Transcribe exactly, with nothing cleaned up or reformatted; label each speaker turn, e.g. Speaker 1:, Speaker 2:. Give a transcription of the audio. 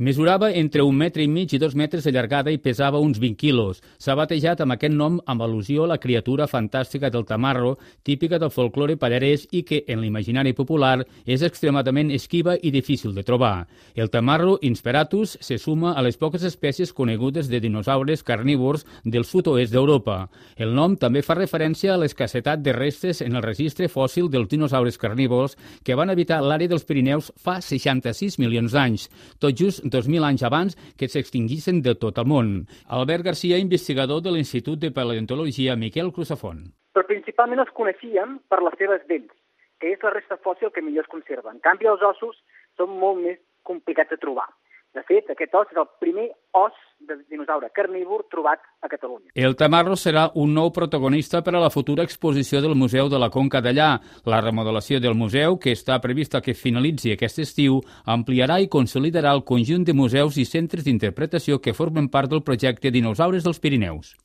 Speaker 1: Mesurava entre un metre i mig i dos metres de llargada i pesava uns vint quilos. S'ha batejat amb aquest nom amb al·lusió a la criatura fantàstica del tamarro, típica del folklore pallarès i que, en l'imaginari popular, és extremadament esquiva i difícil de trobar. El tamarro insperatus se suma a les poques espècies conegudes de dinosaures carnívors del sud-oest d'Europa. El nom també fa referència a l'escassetat de restes en el registre fòssil dels dinosaures carnívors que van habitar l'àrea dels Pirineus fa seixanta-sis milions d'anys, tot just dos mil anys abans que s'extinguissin de tot el món. Albert Garcia, investigador de l'Institut de Paleontologia Miquel Crusafont.
Speaker 2: Però principalment els coneixíem per les seves dents, que és la resta fòssil que millor es conserva. En canvi, els ossos són molt més complicats de trobar. De fet, aquest os és el primer os de dinosaure carnívor trobat a Catalunya.
Speaker 1: El tamarro serà un nou protagonista per a la futura exposició del Museu de la Conca d'Allà. La remodelació del museu, que està prevista que finalitzi aquest estiu, ampliarà i consolidarà el conjunt de museus i centres d'interpretació que formen part del projecte Dinosaures dels Pirineus.